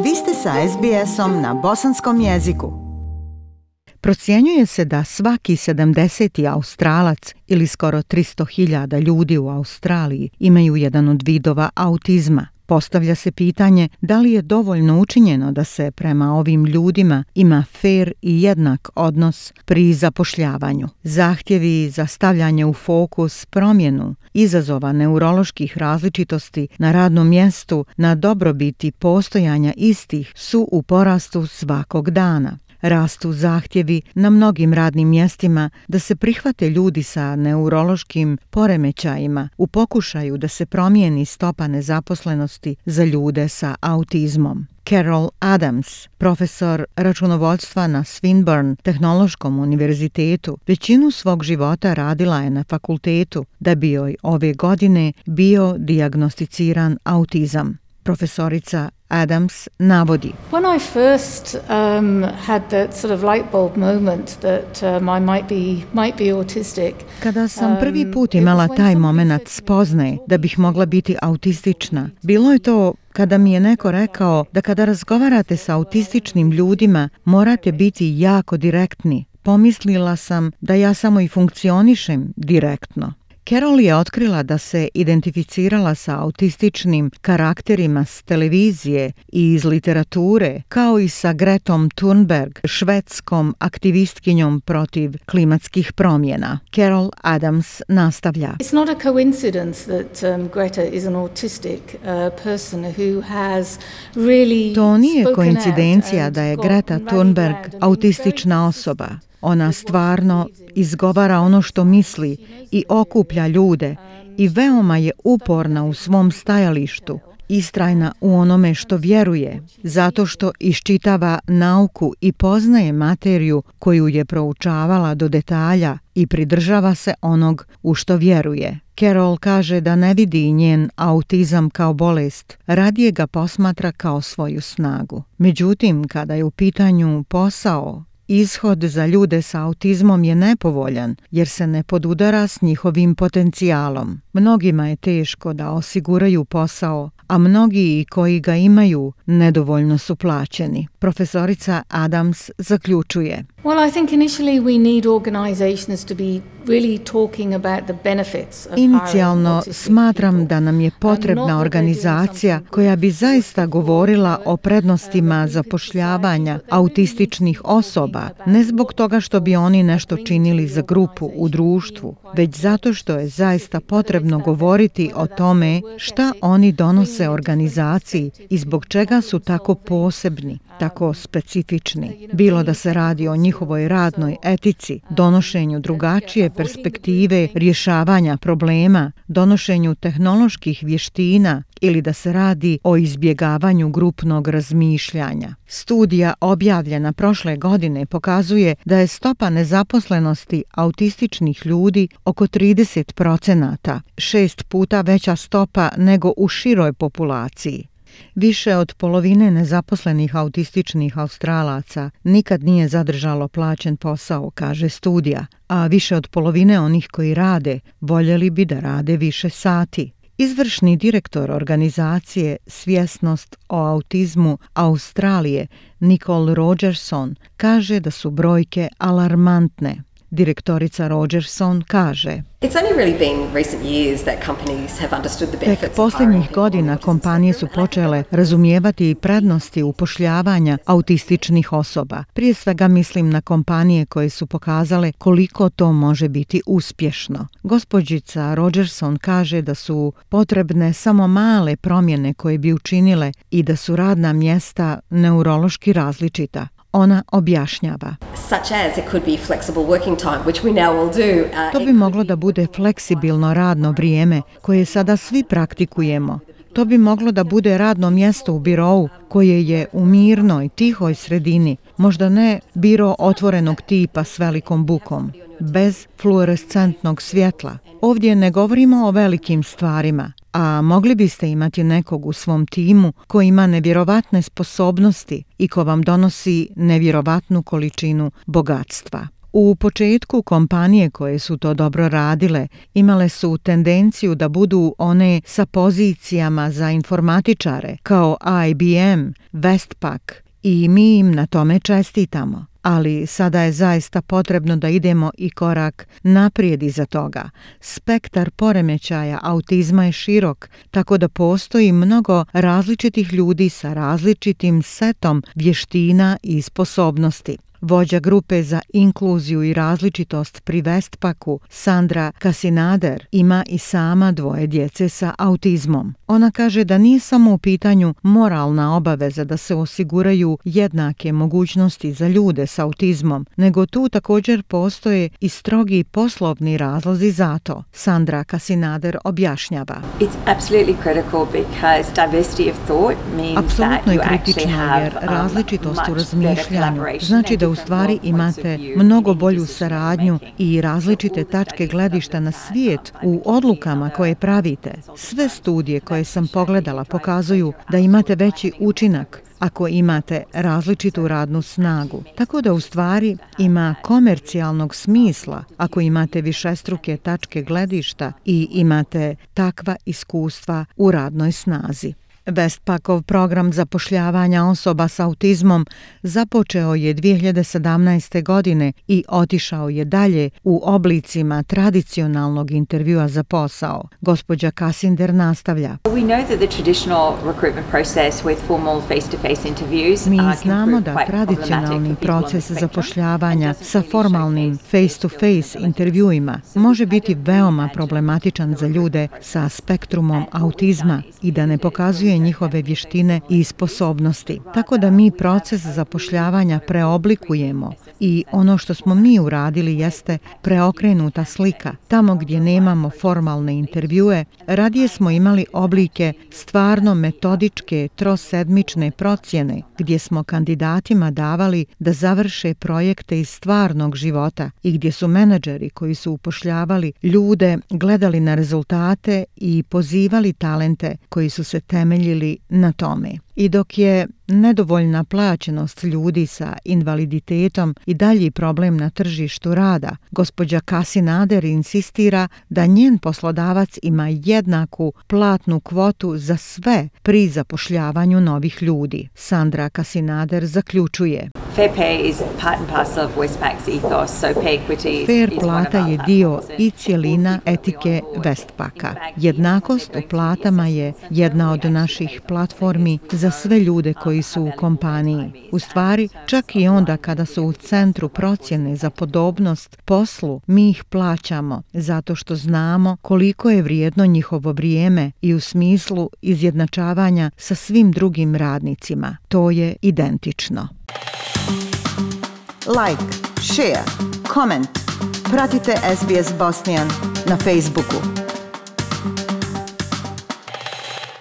Vi ste sa SBS-om na bosanskom jeziku. Procjenjuje se da svaki 70. Australac ili skoro 300.000 ljudi u Australiji imaju jedan od vidova autizma. Postavlja se pitanje da li je dovoljno učinjeno da se prema ovim ljudima ima fer i jednak odnos pri zapošljavanju. Zahtjevi za stavljanje u fokus promjenu izazova neuroloških različitosti na radnom mjestu na dobrobiti postojanja istih su u porastu svakog dana. Rastu zahtjevi na mnogim radnim mjestima da se prihvate ljudi sa neurološkim poremećajima u pokušaju da se promijeni stopa nezaposlenosti za ljude sa autizmom. Carol Adams, profesor računovodstva na Swinburne tehnološkom univerzitetu, većinu svog života radila je na fakultetu da bi joj ove godine bio dijagnosticiran autizam. Profesorica Adams navodi: When I first had that sort of light bulb moment that I might be autistic. Kada sam prvi put imala taj momenat spoznaje da bih mogla biti autistična, bilo je to kada mi je neko rekao da kada razgovarate sa autističnim ljudima morate biti jako direktni. Pomislila sam da ja samo i funkcionišem direktno. Carol je otkrila da se identificirala sa autističnim karakterima s televizije i iz literature, kao i sa Gretom Thunberg, švedskom aktivistkinjom protiv klimatskih promjena. Carol Adams nastavlja: It's not a coincidence that Greta is an autistic person who has really To nije koincidencija da je Greta Thunberg autistična osoba. Ona stvarno izgovara ono što misli i okuplja ljude i veoma je uporna u svom stajalištu, istrajna u onome što vjeruje, zato što iščitava nauku i poznaje materiju koju je proučavala do detalja i pridržava se onog u što vjeruje. Carol kaže da ne vidi njen autizam kao bolest, radije ga posmatra kao svoju snagu. Međutim, kada je u pitanju posao, ishod za ljude sa autizmom je nepovoljan jer se ne podudara s njihovim potencijalom. Mnogima je teško da osiguraju posao, a mnogi koji ga imaju nedovoljno su plaćeni. Profesorica Adams zaključuje: Well, I think initially we need organizations to be really talking about the benefits of Inicijalno smatram da nam je potrebna organizacija koja bi zaista govorila o prednostima zapošljavanja autističnih osoba, ne zbog toga što bi oni nešto činili za grupu u društvu, već zato što je zaista potrebno govoriti o tome šta oni donose organizaciji i zbog čega su tako posebni, tako specifični. Bilo da se radi o njihovoj radnoj etici, donošenju drugačije perspektive rješavanja problema, donošenju tehnoloških vještina ili da se radi o izbjegavanju grupnog razmišljanja. Studija objavljena prošle godine pokazuje da je stopa nezaposlenosti autističnih ljudi oko 30%, 6 puta veća stopa nego u široj populaciji. Više od polovine nezaposlenih autističnih Australaca nikad nije zadržalo plaćen posao, kaže studija, a više od polovine onih koji rade voljeli bi da rade više sati. Izvršni direktor organizacije Svjesnost o autizmu Australije, Nicole Rogerson, kaže da su brojke alarmantne. Direktorica Rogerson kaže: Tek posljednjih godina kompanije su počele razumijevati prednosti upošljavanja autističnih osoba. Prije svega mislim na kompanije koje su pokazale koliko to može biti uspješno. Gospođica Rogerson kaže da su potrebne samo male promjene koje bi učinile i da su radna mjesta neurološki različita. Ona objašnjava: To bi moglo da bude fleksibilno radno vrijeme koje sada svi praktikujemo. To bi moglo da bude radno mjesto u birou koje je u mirnoj, tihoj sredini, možda ne biro otvorenog tipa s velikom bukom, bez fluorescentnog svjetla. Ovdje ne govorimo o velikim stvarima, a mogli biste imati nekog u svom timu koji ima nevjerovatne sposobnosti i ko vam donosi nevjerovatnu količinu bogatstva. U početku kompanije koje su to dobro radile imale su tendenciju da budu one sa pozicijama za informatičare kao IBM, Westpac i mi im na tome čestitamo. Ali sada je zaista potrebno da idemo i korak naprijed iza toga. Spektar poremećaja autizma je širok, tako da postoji mnogo različitih ljudi sa različitim setom vještina i sposobnosti. Vođa grupe za inkluziju i različitost pri Westpacu, Sandra Kasinader, ima i sama 2 djece sa autizmom. Ona kaže da nije samo u pitanju moralna obaveza da se osiguraju jednake mogućnosti za ljude s autizmom, nego tu također postoje i strogi poslovni razlozi za to. Sandra Kasinader objašnjava. Apsolutno je kritično jer različitost u razmišljanju znači da u stvari imate mnogo bolju saradnju i različite tačke gledišta na svijet u odlukama koje pravite. Sve studije koje sam pogledala pokazuju da imate veći učinak ako imate različitu radnu snagu. Tako da u stvari ima komercijalnog smisla ako imate višestruke tačke gledišta i imate takva iskustva u radnoj snazi. Westpacov program zapošljavanja osoba s autizmom započeo je 2017. godine i otišao je dalje u oblicima tradicionalnog intervjua za posao. Gospođa Kasinder nastavlja. Mi znamo da tradicionalni proces zapošljavanja sa formalnim face-to-face intervjuima može biti veoma problematičan za ljude sa spektrumom autizma i da ne pokazuje njihove vještine i sposobnosti. Tako da mi proces zapošljavanja preoblikujemo i ono što smo mi uradili jeste preokrenuta slika. Tamo gdje nemamo formalne intervjue, radije smo imali oblike stvarno metodičke trosedmične procjene gdje smo kandidatima davali da završe projekte iz stvarnog života i gdje su menadžeri koji su upošljavali ljude gledali na rezultate i pozivali talente koji su se temeljili na tome. I dok je nedovoljna plaćenost ljudi sa invaliditetom i dalji problem na tržištu rada, gospođa Kasinader insistira da njen poslodavac ima jednaku platnu kvotu za sve pri zapošljavanju novih ljudi. Sandra Kasinader zaključuje. Fair plata je dio i cjelina etike Westpaca. Jednakost u platama je jedna od naših platformi za sve ljude koji su u kompaniji. U stvari, čak i onda kada su u centru procjene za podobnost poslu, mi ih plaćamo zato što znamo koliko je vrijedno njihovo vrijeme i u smislu izjednačavanja sa svim drugim radnicima. To je identično. Like, share, comment. Pratite SBS Bosnian na Facebooku.